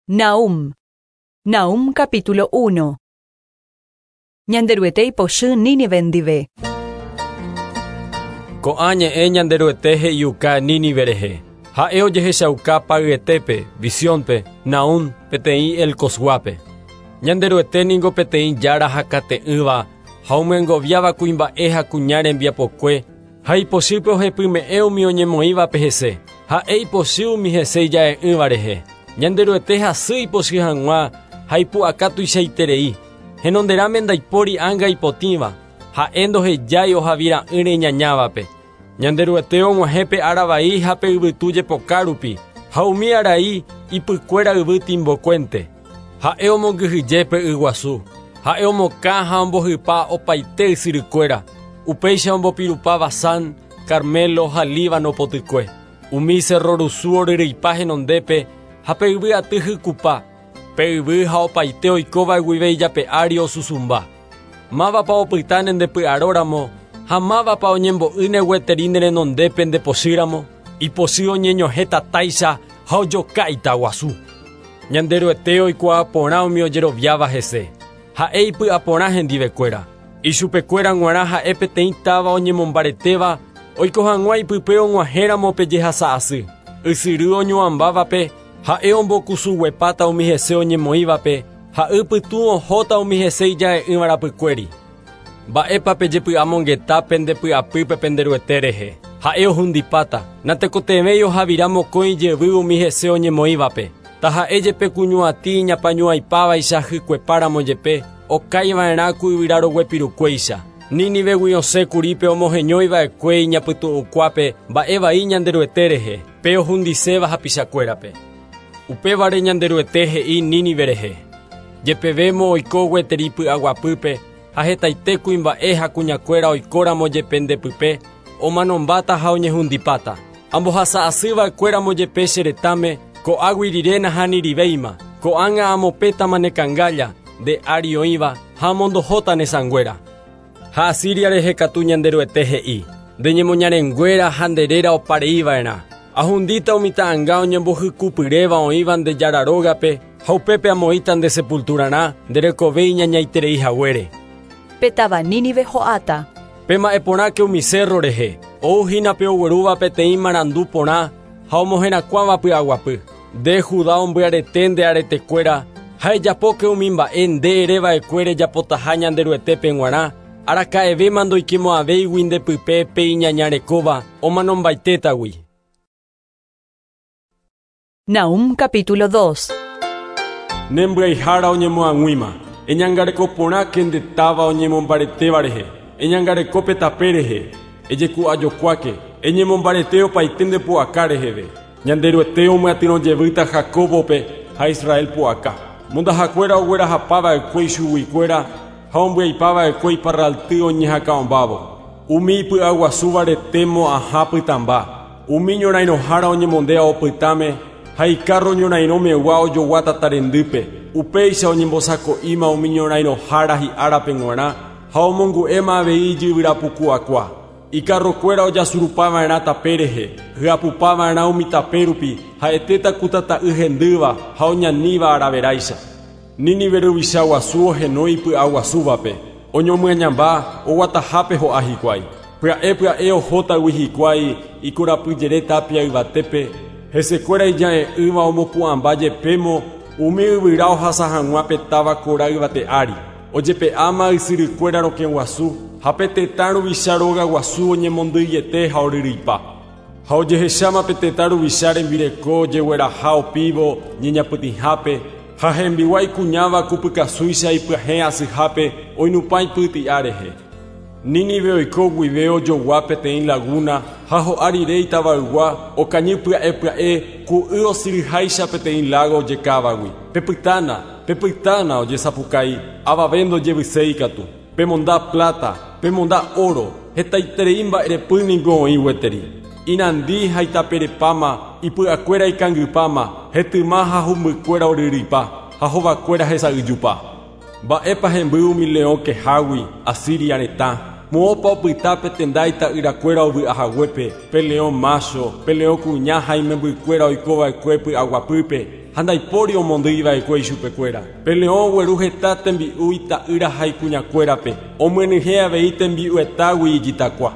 Nahum. Nahum capítulo 1. Ñanderuete ipochy Nínive ndive. Ko'ã ñe'ẽ Ñanderuete he'iuka Nínive rehe. Ha'e ojehechauka payetépe, visiónpe, Nahum, peteĩ Elcosguápe. Ñanderuete ningo peteĩ jára hakate'ỹva ha omyengoviáva kuimba'e ha kuña rembiapokue ha ipochýpe ohepyme'ẽ umi oñemoĩvape hese. Ha'e ipochy umi hese ija'e'ỹva rehe. Ñanderuete hasy ipochy hag̃ua ha ipu'aka tuichaiterei. Henonderãme ndaipóri ánga ipotĩva, ha'e ndohejái ohavira'ỹre iñañávape. Ñanderuete og̃uahẽ pe ára vai ha pe yvytu jepoka rupi, ha umi arai ipykuéra yvy timbokuénte. Ha'e omongyhyje pe yguasu, ha'e omokã ha ombohypa opaite ysyrykuéra, upéicha ombopirupa Basán, Carmelo ha Líbano potykue. Umi cerro rusu oryryipa henondépe ha pe yvy aty hykupa, pe yvy ha opaite oikóva guive ijape ári osusũmba. Mávapa opytáne ndepy'aróramo ha mávapa oñembo'ýne gueteri ne renondépe ndepochýramo, ipochy oñeñohẽ tatáicha ha ojoka itaguasu. Ñanderuete oikuaa porã umi ojeroviáva hese. Ha'e ipy'aporã hendivekuéra. Ichupekuéra g̃uarã ha'e peteĩ táva oñemombaretéva oiko hag̃ua ipype og̃uahẽramo pe jehasa asy. Ysyry oñuãmbávape ha'e ombokusuguepáta umi hese oñemoĩvape ha ypytũ ohóta umi hese ija'e'ỹva rapykuéri. Mba'épa pejepy'amongeta pendepy'apýpe penderuete rehe. Ha'e ohundipáta, natekotevẽi ohavira mokõi jevy umi hese oñemoĩvape. Taha'e jepe kuñuatĩ iñapañuãipávaicha hykuepáramo jepe, okaiva'erã ku yvyra roguepirukuéicha. Nínivegui osẽ kurípe omoheñóiva'ekue iñapytu'ũkuápe mba'e vai Ñanderuete rehe, pe ohundiséva hapichakuérape. Upévare Ñanderuete he'i Nínive rehe. Jepevémo oiko gueteri py'aguapýpe ha hetaite kuimba'e ha kuñakuéra oikóramo jepe ndepype, omanombáta ha oñehundipáta. Ambohasa'asýva'ekuéramo jepe che retãme, ko'águi rire nahanirivéima, ko'ág̃a amopẽtama ne kangálla, nde ári oĩva ha amondohóta ne sãnguéra. Ha Asiria rehe katu Ñanderuete he'i: Nde ñemoñarenguéra ha nde réra opareiva'erã. Ahundíta umi ta'ãnga oñembohykupyréva oĩva nde jára rógape ha upépe amoĩta nde sepulturarã nde rekove iñañaiterei haguére. Pe táva Nínive ho'áta. Pema'ẽ porãke umi cerro rehe, ouhína pe oguerúva peteĩ marandu porã ha omoherakuãva py'aguapy. Nde Judá ombyarete nde aretekuéra ha ejapóke umi mba'e nde ereva'ekue rejapotaha Ñanderuetépe g̃uarã, araka'evéma ndoikemo'ãvéigui ndepype pe iñañarekóva omanombaitétagui. Nahum capítulo 2. Nembyaihára oñemoag̃uíma, eñangareko porãke nde táva oñemombaretéva rehe, eñangareko pe tape rehe, ejeku'ajokuáke, eñemombarete opaite nde pu'aka reheve. Ñanderuete omyatyrõ jevýta Jacóbope ha Israel pu'aka. Mondahakuéra oguerahapava'ekue ichuguikuéra ha ombyaipava'ekue iparralty oñehakã'ombávo. Umi ipy'aguasúva rete mo'ãha pytãmba. Umi ñorairõhára oñemondéva opytãme ha ikárro ñorairõmegua ojogua tatarendýpe. Upéicha oñembosako'íma umi ñorairõhára hi'árape g̃uarã ha omongu'éma avei ijyvyrapuku'akua. Ikarrokuéra ojasurupava'erã tape rehe, hyapupava'erã umi tape rupi, ha'etéta ku tata'y hendýva ha oñaníva araveráicha. Nínive ruvicha guasu ohenói ipy'aguasúvape, oñomyañamba oguatahápe ho'a hikuái. Pya'e pya'e ohótagui hikuái ikorapyjere tapia yvatépe, hesekuéra ija'e'ỹva omopu'ãmba jepémo umi yvyra ohasa hag̃ua pe táva kora yvate ári. Ojepe'áma ysyrykuéra rokẽ guasu ha pe tetã ruvicha róga guasu oñemondýiete ha oryryipa. Ha ojehecháma pe tetã ruvicha rembireko ojegueraha opívo ñeñapytĩhápe ha hembiguái kuñáva kupykasúicha ipyahẽ asyhápe oinupã ipyti'a rehe. Nínive oiko guive ojogua peteĩ laguna ha ho'a rire itavaygua okañy pya'e pya'e ku y osyryháicha peteĩ lago ojekávagui. Pepytána, pepytána ojesapukái, avave ndojevyséi katu. Pemonda plata, pemonda oro, hetaiterei mba'erepy ningo oĩ gueteri. Inandi ha itaperepáma, ipy'akuéra ikangypáma, hetyma ha humbykuéra oryryipa, ha hovakuéra hesa'yjupa. Mba'épa hemby umi leõ kehágui, Asiria retã. Moõpa opyta pe tenda ita'yrakuéra ovy'ahaguépe, pe leõ macho, pe leõ kuña ha imembykuéra oikova'ekue py'aguapýpe. ha ndaipóri omondýiva'ekue ichupekuéra. Pe leõ ogueru heta tembi'u ita'ýra ha ikuñakuérape, omyenyhẽ avei tembi'uetágui ijitakua.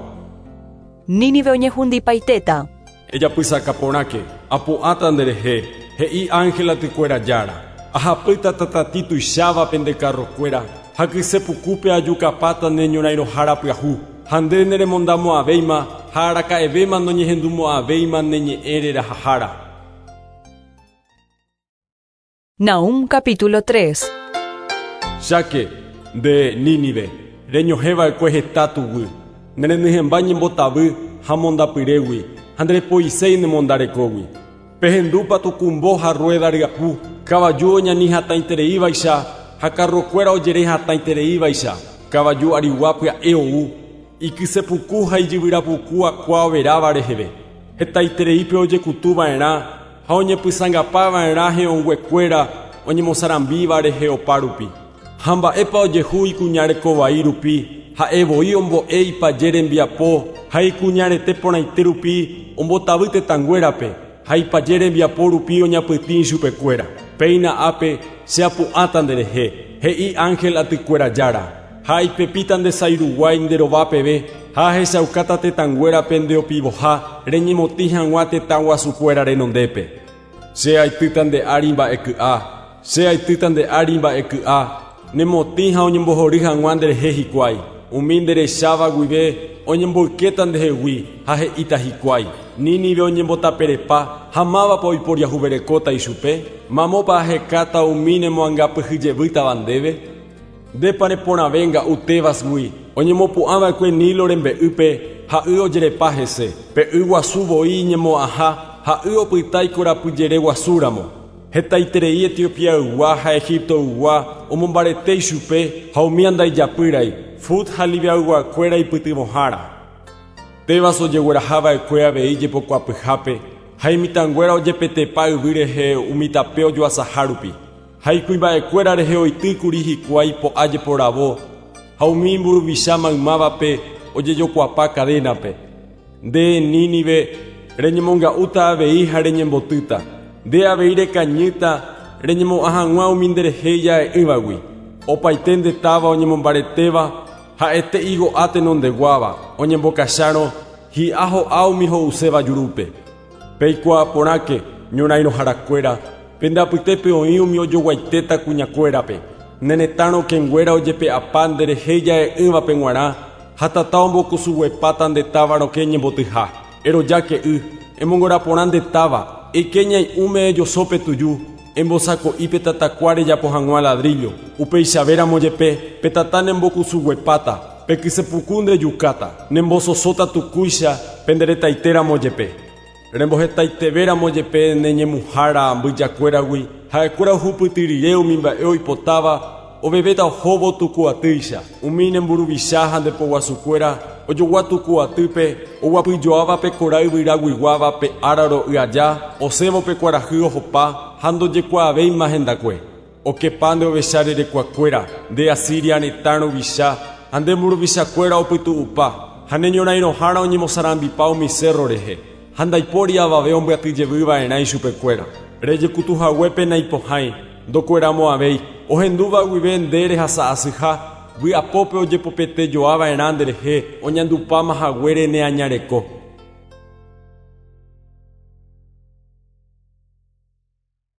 Nínive oñehundipaitéta. Ejapysaka porãke, apu'ãta nderehe, he'i ángel atykuéra Jára. Ahapýta tatatĩ tuicháva pende karrokuéra, ha kyse pukúpe ajukapáta ne ñorairõhára pyahu. Ha nde neremondamo'ãvéima ha araka'evéma noñehendumo'ãvéima ne ñe'ẽ rerahahára. Nahúm capítulo 3. Cháke, nde, Nínive, reñohẽ va'ekue heta tuguy, ne renyhẽmba ñembotavy ha mondapyrégui, ha nderepoiséi ne mondarekógui. Pehendúpa tukumbo ha rruéda ryapu, kavaju oñani hatãitereívaicha ha karrokuéra ojere hatãitereívaicha, kavaju arigua pya'e ou, ikysepuku ha ijyvyrapuku akua overáva reheve. Hetaitereípe ojekutu va'erã ha oñepysãngapa va'erã he'õnguekuéra oñemosarambíva rehe opa rupi. Ha mba'épa ojehu ikuña reko vai rupi, ha'e voi ombo'e ipaje rembiapo ha ikuña rete porãite rupi ombotavy tetãnguérape ha ipaje rembiapo rupi oñapytĩ ichupekuéra. Péina ápe che apu'ãta nderehe, he'i ángel atykuéra Jára, ha aipepíta nde sái ruguái nde rova peve ha ahechaukáta tetãnguérape nde opivoha reñemotĩ hag̃ua tetã guasukuéra renondépe. Che aitýta nde ári mba'e ky'a, che aitýta nde ári mba'e ky'a, nemotĩ ha oñembohory hag̃ua nderehe hikuái. Umi nderecháva guive oñemboykéta ndehegui ha he'íta hikuái, Nínive oñembotaperepa ha mávapa oiporiahuverekóta ichupe? Mamópa ahekáta umi nemoangapyhyjevýtava ndéve? Ndépa neporãve nga'u Tébasgui, oñemopu'ãva'ekue Nilo rembe'ýpe ha y ojerepa hese, pe y guasu voi iñemo'ãha ha y opyta ikorapyjere guasúramo. Hetaiterei Etiopiaygua ha Egiptoygua omombarete ichupe ha umía ndaijapýrai, Fut ha Libiayguakuéra ipytyvõhára. Tebas ojegueraha va'ekue avei jepokuapyhápe ha imitãnguéra ojepetepa yvy rehe umi tape ojoasaha rupi. Ha ikuimba'ekuéra rehe oitýkuri hikuái po'a jeporavo ha umi mburuvicha maymávape ojejokuapa kadénape. Nde, Nínive, reñemonga'úta avei ha reñembotýta. Nde avei rekañýta reñemo'ã hag̃ua umi nderehe ija'e'ỹvagui. Opaite nde táva oñemombaretéva ha'ete igo'a tenondeguáva, oñembokachárõ hi'a ho'a umi ho'uséva jurúpe. Peikuaa porãke, ñorairõharakuéra, pende apytépe oĩ umi ojoguaitéta kuñakuérape. Ne retã rokẽnguéra ojepe'apa nderehe ija'e'ỹvape g̃uarã ha tata ombokusuguepáta nde táva rokẽ ñembotyha. Erojáke y, emongora porã nde táva, eike ñai'ũme ejoso pe tuju, embosako'i pe tatakua rejapo hag̃ua ladrillo. Upeichavéramo jepe, pe tata nembokusuguepáta, pe kysepuku ndejukáta, nembososóta tukúicha pende retaitéramo jepe. Rembohetaitevéramo jepe ne ñemuhára mbyjakuéragui, ha'ekuéra ohupyty rire umi mba'e oipotáva, ovevéta ohóvo tuku atýicha. Umi ne mburuvicha ha nde poguasukuéra ojogua tuku atýpe, oguapyjoáva pe kora yvyraguiguáva pe ára ro'y aja, osẽvo pe kuarahy ohopa ha ndojekuaavéima hendakue. Okepa nde ovecha rerekuakuéra, nde Asiria retã ruvicha ha nde mburuvichakuéra opytu'upa, ha ne ñorairõhára oñemosarambipa umi sérro rehe. Ha ndaipóri avave ombyaty jevy va'erã ichupekuéra. Rejekutu haguépe naipohãi, ndokueramo'ãvéi. Ohendúva guive nde rehasa asyha, vy'apópe ojepopete joa va'erã nderehe, oñandupáma haguére ne añareko.